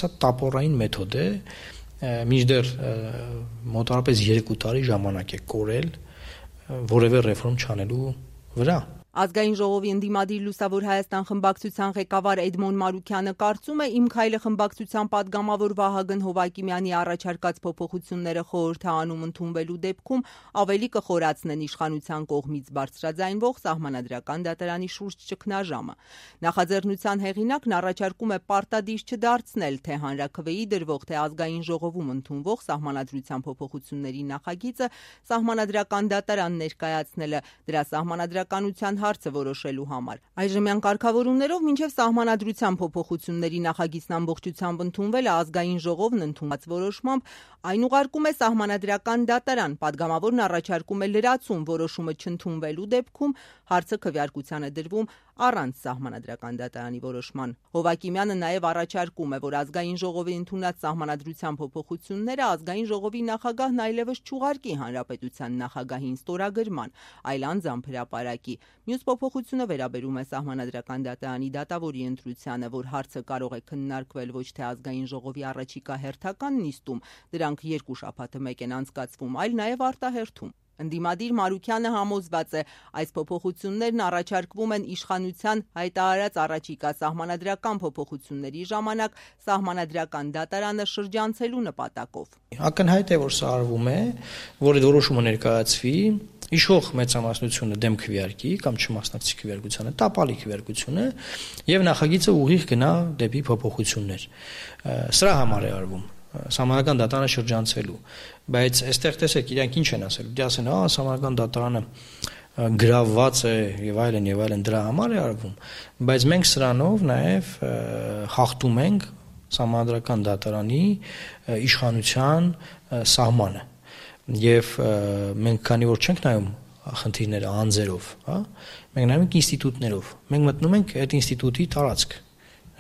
սա տապորային մեթոդ է, մինչդեռ մոտավորապես 2 տարի ժամանակ է կորել որևէ ռեֆորմ չանելու վրա։ Ազգային ժողովի ընդդիմադիր Լուսավոր Հայաստան խմբակցության ղեկավար Էդմոն Մարուքյանը կարծում է Իմ քայլը խմբակցության падգամավոր Վահագն Հովակիմյանի առաջարկած փոփոխությունները խորհրդարանում ընդունվելու դեպքում ավելի կխորացնեն իշխանության կողմից բարձրաձայնվող սահմանադրական դատարանի շուրջ ճգնաժամը։ Նախաձեռնության հեղինակն առաջարկում է պարտադիր չդարձնել թե հանրաքվեի դրվող, թե ազգային ժողովում ընդունվող սահմանադրության փոփոխությունների նախագիծը սահմանադրական դատարան ներկայացնելը դրա սահմանադրականության հարցը որոշելու համար։ Այժմյան կարգավորումներով մինչև սահմանադրության փոփոխությունների նախագիծն ամբողջությամբ ընդունվելը ազգային ժողովն ընդունված որոշմամբ այն ուղարկում է սահմանադրական դատարան, падգամավորն առաջարկում է լրացում որոշումը չընդունվելու դեպքում հարցը քվեարկության է դրվում առանց սահմանադրական դատարանի որոշման։ Հովակիմյանը նաև առաջարկում է, որ ազգային ժողովի ընդունած սահմանադրության փոփոխությունները ազգային ժողովի նախագահն այլևս չուղարկի հանրապետության նախագահին ստորագրման, այլ անձամբ հրապարակի։ Մյուս փոփոխությունը վերաբերում է սահմանադրական դատարանի դատավորի ընտրությանը, որ հարցը կարող է քննարկվել ոչ թե ազգային ժողովի առաջիկա հերթական նիստում, դրանք 2 շաբաթը մեկ են անցկացվում, այլ նաև արտահերթում։ Ընդդիմադիր Մարուքյանը համոզված է, այս փոփոխություններն առաջարկվում են իշխանության հայտարարած առաջիկա սահմանադրական փոփոխությունների ժամանակ սահմանադրական դատարանը շրջանցելու նպատակով։ Ակնհայտ է, որ սա արվում է, որ այդ որոշումը ներկայացվի, իշխող մեծամասնությունը դեմ քվեարկի կամ չմասնակցի քվեարկությանը, տապալի քվեարկությունը եւ նախագիծը ուղիղ գնա դեպի փոփոխություններ։ Սրա համար է արվում սահմանադրական դատարանը շրջանցելու, բայց այստեղ տեսեք իրանք ինչ են ասել, դե ասեն, սահմանադրական դատարանը գրավված է եւ այլն դրա համար է արվում, բայց մենք սրանով նաեւ խախտում ենք սահմանադրական դատարանի իշխանության սահմանը եւ մենք քանի որ չենք նայում խնդիրները անձերով, մենք նայում ենք ինստիտուտներով, մենք մտնում ենք այդ ինստիտուտի տարածք,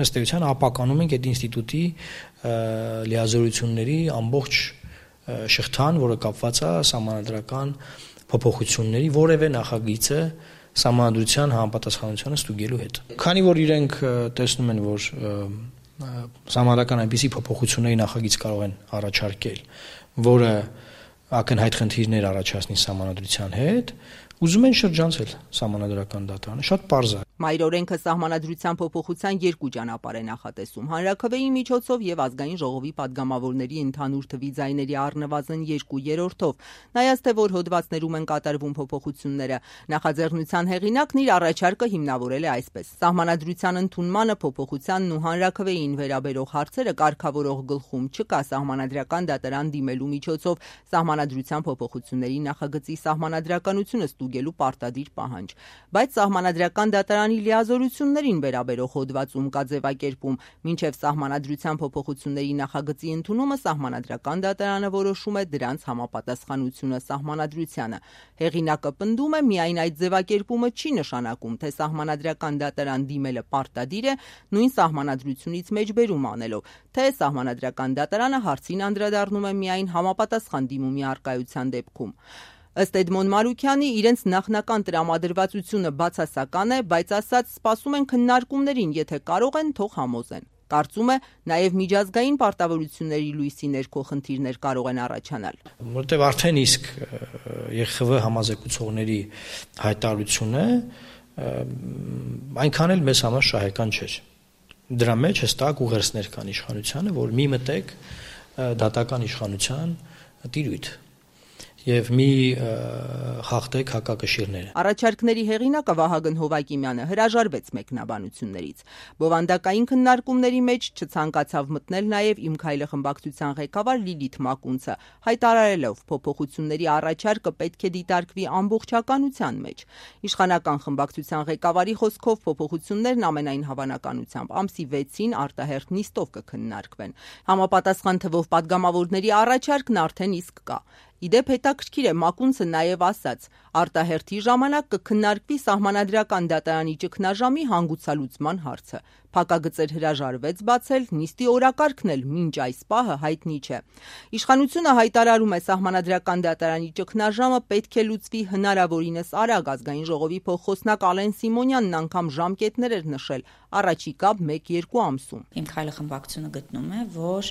ըստ էության ապականում ենք այդ ինստիտուտի լիազորությունների ամբողջ շղթան, որը կապված է սահմանադրական փոփոխությունների որևէ նախագիծը սահմանադրության համապատասխանությանը ստուգելու հետ։ Քանի որ իրենք տեսնում են, որ սահմանադրական այնպիսի փոփոխությունների նախագիծ կարող են առաջարկել, որը ակնհայտ խնդիրներ առաջացնի սահմանադրության հետ, ուզում են շրջանցել սահմանադրական դատարանը, շատ պարզ է։ Մայր օրենքը սահմանադրության փոփոխության 2 ճանապարհ է նախատեսում՝ հանրաքվեի միջոցով եւ ազգային ժողովի падգամավորների ընդհանուր թվի ձայների առնվազն 2/3-ով։ Նայած թե որ հոդվածներում են կատարվում փոփոխությունները, նախաձեռնության հեղինակն իր առաջարկը հիմնավորել է այսպես. Սահմանադրության ընդունմանը, փոփոխությանն ու հանրաքվեին վերաբերող հարցերը կարգավորող գլխում չկա սահմանադրական դատարան դիմելու միջոցով սահմանադրության փոփոխությունների նախագծի սահմանադրականությունը ստուգելու պարտադիր պահանջ, բայց սահմանադրական դատարանի լիազորություններին վերաբերող հոդվածում կա ձևակերպում, մինչև սահմանադրության փոփոխությունների նախագծի ընդունումը սահմանադրական դատարանը որոշում է դրանց համապատասխանությունը սահմանադրությանը։ Հեղինակը պնդում է, միայն այդ ձևակերպումը չի նշանակում, թե սահմանադրական դատարան դիմելը պարտադիր է, նույն սահմանադրությունից մեջբերում անելով, թե սահմանադրական դատարանը հարցին անդրադառնում է միայն համապատասխան դիմումի առկայության դեպքում։ Ըստ Էդմոն Մարուքյանի, իրենց նախնական տրամադրվածությունը բացասական է, բայց ասած սպասում են քննարկումներին, եթե կարող են, թող համոզեն։ Կարծում է, նաև միջազգային պարտավորությունների լույսի ներքո խնդիրներ կարող են առաջանալ։ Որտեւ արդեն իսկ ԵԽՎ համազեկուցողների հայտարարությունը այնքան էլ մեզ համար շահեկան չէր։ Դրա մեջ հստակ ուղերձներ կան իշխանությանը, որ մի մտեք դատական իշխանության տիրույթ եւ մի խախտեք հակակշիռները։ Առաջարկների հեղինակը Վահագն Հովակիմյանը հրաժարվեց մեկնաբանություններից։ Բովանդակային քննարկումների մեջ չցանկացավ մտնել նաեւ Իմ քայլը խմբակցության ղեկավար Լիլիթ Մակունցը, հայտարարելով փոփոխությունների առաջարկը պետք է դիտարկվի ամբողջականության մեջ։ Իշխանական խմբակցության ղեկավարի խոսքով փոփոխություններն ամենայն հավանականությամբ ամսի 6-ին արտահերթ նիստով կքննարկվեն։ Համապատասխան թվով падգամավորների առաջարկն արդեն իսկ կա։ Իդեպ հետաքրքիր է, Մակունցը նաև ասաց, արտահերթի ժամանակ կքննարկվի սահմանադրական դատարանի ճգնաժամի հանգուցալուծման հարցը։ Փակագծեր հրաժարվեց բացել, նիստի օրակարգն էլ մինչ այս պահը հայտնի չէ։ Իշխանությունը հայտարարում է Սահմանադրական դատարանի ճգնաժամը պետք է լուծվի հնարավորինս արագ։ Ազգային ժողովի փոխխոսնակ Ալեն Սիմոնյանն անգամ ժամկետներ էր նշել առաջիկա 1-2 ամսում։ Իմ քայլը խմբակցությունը գտնում է, որ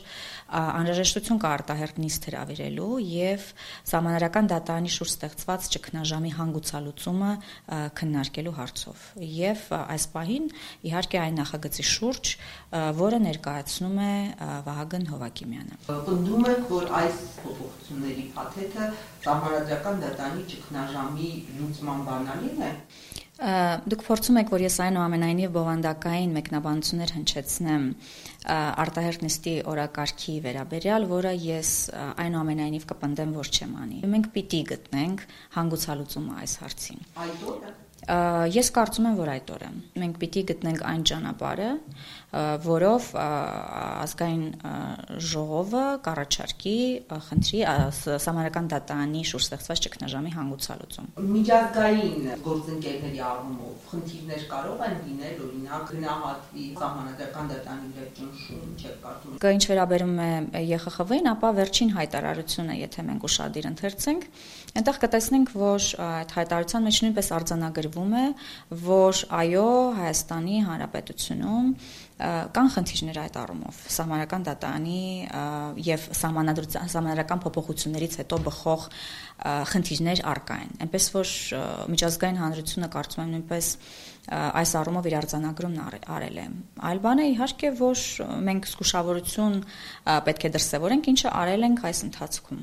անհրաժեշտություն կա արտահերթ նիստ հրավիրելու եւ Սահմանադրական դատարանի շուրջ ստեղծված ճգնաժամի հանգուցալուծումը քննարկելու հարցով։ Եվ այս պահին իհարկե այն նախագծի շուրջ, որը ներկայացնում է Վահագն Հովակիմյանը։ Պնդում եք, որ այս փոփոխությունների փաթեթը Սահմանադրական դատարանի ճգնաժամի լուծման բանալին է։ Դուք փորձում եք, որ ես այնուամենայնիվ բովանդակային մեկնաբանություններ հնչեցնեմ արտահերթ նիստի օրակարգի վերաբերյալ, որը ես այնուամենայնիվ կպնդեմ, որ չեմ անի։ Մենք պիտի գտնենք հանգուցալուծումը այս հարցին։ Այդ օրը Ես կարծում եմ, որ այդ օրը մենք պիտի գտնենք այն ճանապարհը, որով ազգային ժողովը կառաջարկի խնդրի Սահմանադրական դատարանի շուրջ ստեղծված ճգնաժամի հանգուցալուծում։ Միջազգային գործընկերների առումով խնդիրներ կարող են լինել, օրինակ գնահատվի Սահմանադրական դատարանի վերջնշում, չեք կարծում։ Ինչ վերաբերում է ԵԽԽՎ-ին, ապա վերջին հայտարարությունը, եթե մենք ուշադիր ընթերցենք, այնտեղ կտեսնենք, որ այդ հայտարարության մեջ նույնպես արձանագրվում է, որ այո, Հայաստանի Հանրապետությունում կան խնդիրներ այդ առումով Սահմանադրական դատարանի եւ սահմանադրական փոփոխություններից հետո բխող խնդիրներ առկա են։ Այնպես որ միջազգային հանրությունը կարծում եմ նույնպես այս առումով իր արձանագրումն արել է։ Այլ բան է իհարկե, որ մենք զգուշավորություն պետք է դրսևորենք, ինչը արել ենք այս ընթացքում։